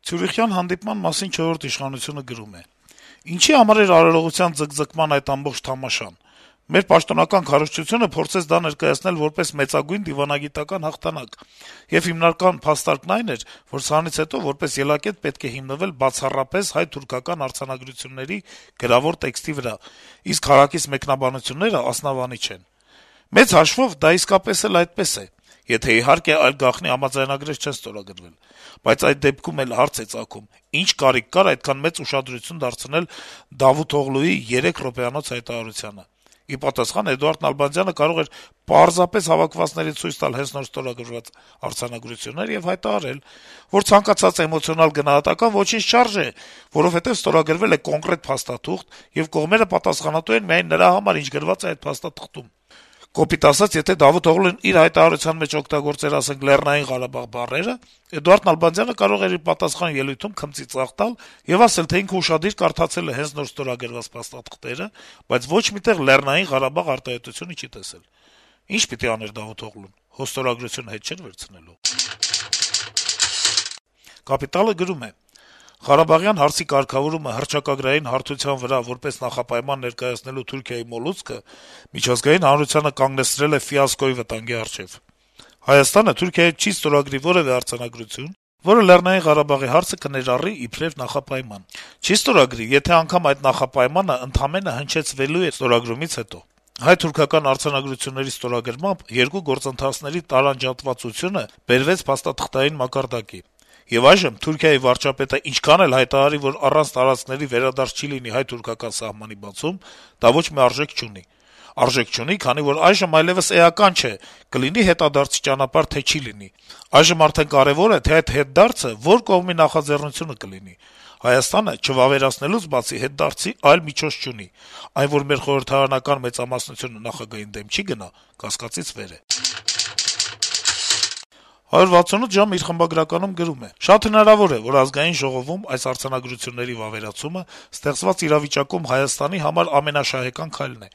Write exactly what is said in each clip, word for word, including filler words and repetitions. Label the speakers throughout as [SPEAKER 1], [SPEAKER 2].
[SPEAKER 1] Ցյուրիխյան հանդիպման մասին «Չորրորդ իշխանությունը» գրում է. - «Ինչի համար էր արարողության ձգձգման այդ ամբողջ թամաշան: Մեր պաշտոնական քարոզչությունը փորձեց դա ներկայացնել որպես մեծագույն դիվանագիտական հաղթանակ, եւ հիմնական փաստարկն այն էր, որ սրանից հետո որպես ելակետ պետք է հիմնվել բացառապես հայ-թուրքական արձանագրությունների գրավոր տեքստի վրա, իսկ հարակից մեկնաբանությունները ասնավանի չեն: Մեծ հաշվով դա իսկապես էլ այդպես է, եթե իհարկե այլ գաղտնի համաձայնագրեր չեն ստորագրվել: Բայց այդ դեպքում էլ հարց է ծագում` ինչ կարիք կար այդքան մեծ ուշադրություն դարձնել Դավութօղլուի երեք րոպեանոց հայտարարությանը: Ի պատասխան, Էդուարդ Նալբանդյանը կարող էր պարզապես հավաքվածներին ցույց տալ հենց նոր ստորագրված արձանագրություններ եւ հայտարարել, որ ցանկացած էմոցիոնալ գնահատական ոչինչ չարժե, որովհետեւ ստորագրվել է կոնկրետ փաստաթուղթ, եւ կողմերը պատասխանատու են միայն նրա համար, ինչ գրված է այդ փաստաթղթում: Կոպիտ ասած, եթե Դավութօղլուն իր հայտարարության մեջ օգտագործեր, ասենք, «Լեռնային Ղարաբաղ» բառերը, Էդուարդ Նալբանդյանը կարող էր իր պատասխան ելույթում քմծի ծաղ տալ եւ ասել, թե ինքը ուշադիր կարդացել է հենց նոր ստորագրված փաստաթղթերը, բայց ոչ մի տեղ «Լեռնային Ղարաբաղ» արտահայտությունը չի տեսել: Ի՞նչ պիտի աներ Դավութօղլուն: Հո ստորագրությունը հետ չէր վերցնելու»: «Կապիտալ»-ը գրում է. - «Ղարաբաղյան հարցի կարգավորումը հռչակագրային հարթության վրա որպես նախապայման ներկայացնելու Թուրքիայի մոլուցքը միջազգային հանրությանը կանգնեցրել է ֆիասկոյի վտանգի առջեւ: Հայաստանը Թուրքիայի հետ չի ստորագրի որեւէ արձանագրություն, որը Լեռնային Ղարաբաղի հարցը կներառի իբրեւ նախապայման: Չի ստորագրի, եթե անգամ այդ նախապայմանը ընդամենը հնչեցվելու է ստորագրումից հետո: Հայ-թուրքական արձանագրությունների ստորագրմամբ երկու գործընթացների տարանջատվածությունը բերվեց փաստաթղթային մակարդակի: Եվ այժմ Թուրքիայի վարչապետը ինչքան էլ հայտարարի, որ առանց տարածքների վերադարձ չի լինի հայ-թուրքական սահմանի բացում, դա ոչ մի արժեք չունի: Արժեք չունի, քանի որ այժմ այլեւս էական չէ` կլինի հետադարձի ճանապարհ, թե չի լինի: Այժմ արդեն կարեւոր է, թե այդ հետդարձը որ կողմի նախաձեռնությունը կլինի: Հայաստանը, չվավերացնելուց բացի, հետդարձի այլ միջոց չունի: Այն, որ մեր խորհրդարանական մեծամասնությունը նախագահին դեմ չի գնա, կասկածից վեր է»: «հարյուր վաթսունութ ժամ» իր խմբագրականում գրում է. - «Շատ հնարավոր է, որ Ազգային ժողովում այս արձանագրությունների վավերացումը ստեղծված իրավիճակում Հայաստանի համար ամենաշահեկան քայլն է: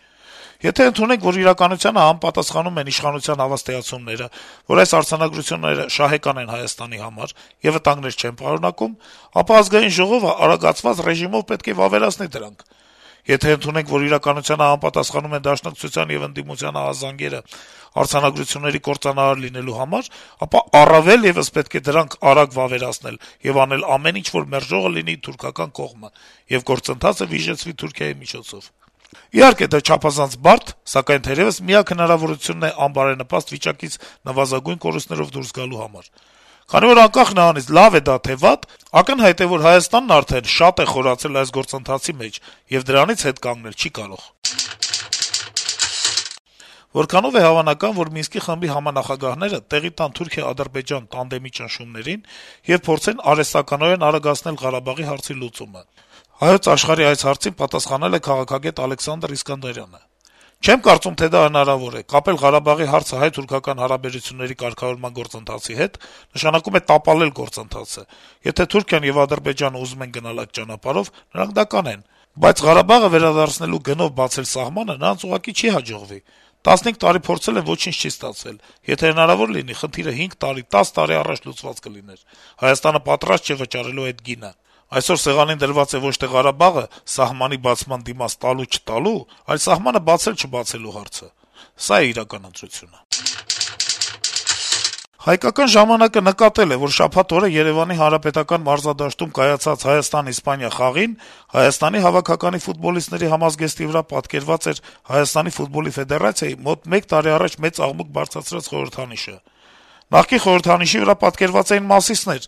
[SPEAKER 1] Եթե ընդունենք, որ իրականությանը համապատասխանում են իշխանության հավաստիացումները, որ այս արձանագրությունները շահեկան են Հայաստանի համար եւ վտանգներ չեն պարունակում, ապա Ազգային ժողովը արագացված ռեժիմով պետք է վավերացնի դրանք: Եթե ընդունենք, որ իրականությանը համապատասխանում են Դաշնակցության եւ ընդդիմության ահազանգերը արձանագրությունների կործանարար լինելու համար, ապա առավել եւս պետք է դրանք արագ վավերացնել եւ անել ամեն ինչ, որ մերժողը լինի թուրքական կողմը, եւ գործընթացը վիժեցվի Թուրքիայի միջոցով: Իհարկե, դա չափազանց բարդ, սակայն թերեւս միակ հնարավորությունն է անբարենպաստ վիճակից նվազագույն կորուստներով դուրս գալու համար: Քանի որ անկախ նրանից լավ է դա թե վատ, ակնհայտ է, որ Հայաստանն արդեն շատ է խորացել այս գործընթացի մեջ եւ դրանից հետ կանգնել չի կարող»: Որքանո՞վ է հավանական, որ Մինսկի խմբի համանախագահները տեղի տան Թուրքիա-Ադրբեջան տանդեմի ճնշումներին եւ փորձեն արհեստականորեն արագացնել Ղարաբաղի հարցի լուծումը: «Հայոց Աշխարհ»-ի այս հարցին պատասխանել է քաղաքագետ Ալեքսանդր Իսկանդարյանը. - «Չեմ կարծում, թե դա հնարավոր է: Կապել Ղարաբաղի հարցը հայ-թուրքական հարաբերությունների կարգավորման գործընթացի հետ նշանակում է տապալել գործընթացը: Եթե Թուրքիան եւ Ադրբեջանը ուզում են գնալ այդ ճանապարհով, նրանք դա կանեն: Բայց Ղարաբաղը վերադարձնելու գնով բացել սահմանը նրանց ուղղակի չի հաջողվի: տասնհինգ տարի փորձել են, ոչինչ չի ստացվել: Եթե հնարավոր լինի, խնդիրը հինգ տարի, տասը տարի առաջ լուծված կլիներ: Հայաստանը պատրաստ չէ վճարելու այդ գինը: Այսօր սեղանին դրված է ոչ թե Ղարաբաղը սահմանի բացման դիմաց տալու-չտալու, այլ սահմանը բացել-չբացելու հարցը: Սա է իրական ընտրությունը»: «Հայկական ժամանակ»-ը նկատել է, որ շաբաթ օրը Երեւանի Հանրապետական մարզադաշտում կայացած Հայաստան-Իսպանիա խաղին Հայաստանի հավաքականի ֆուտբոլիստների համազգեստի վրա պատկերված էր Հայաստանի ֆուտբոլի ֆեդերացիայի մոտ մեկ տարի առաջ մեծ աղմուկ բարձրացրած խորհրդանիշը: Նախկին խորհրդանիշի վրա պատկերված էին Մասիսներ,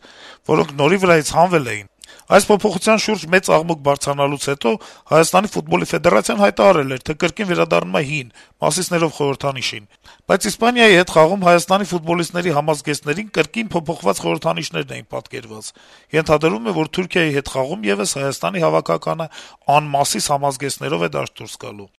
[SPEAKER 1] որոնք նորի վրայից հանվել էին: Այս փոփոխության շուրջ մեծ աղմուկ բարձրանալուց հետո Հայաստանի ֆուտբոլի ֆեդերացիան հայտարարել էր, թե կրկին վերադառնում է հին՝ Մասիսներով խորհրդանիշին: Բայց Իսպանիայի հետ խաղում Հայաստանի ֆուտբոլիստների համազգեստներին կրկին փոփոխված խորհրդանիշներն էին պատկերված: Ենթադրվում է, որ Թուրքիայի հետ խաղում եւս Հայաստանի հավաքականը անմասիս համազգեստներով է դաշտ դուրս գալու»: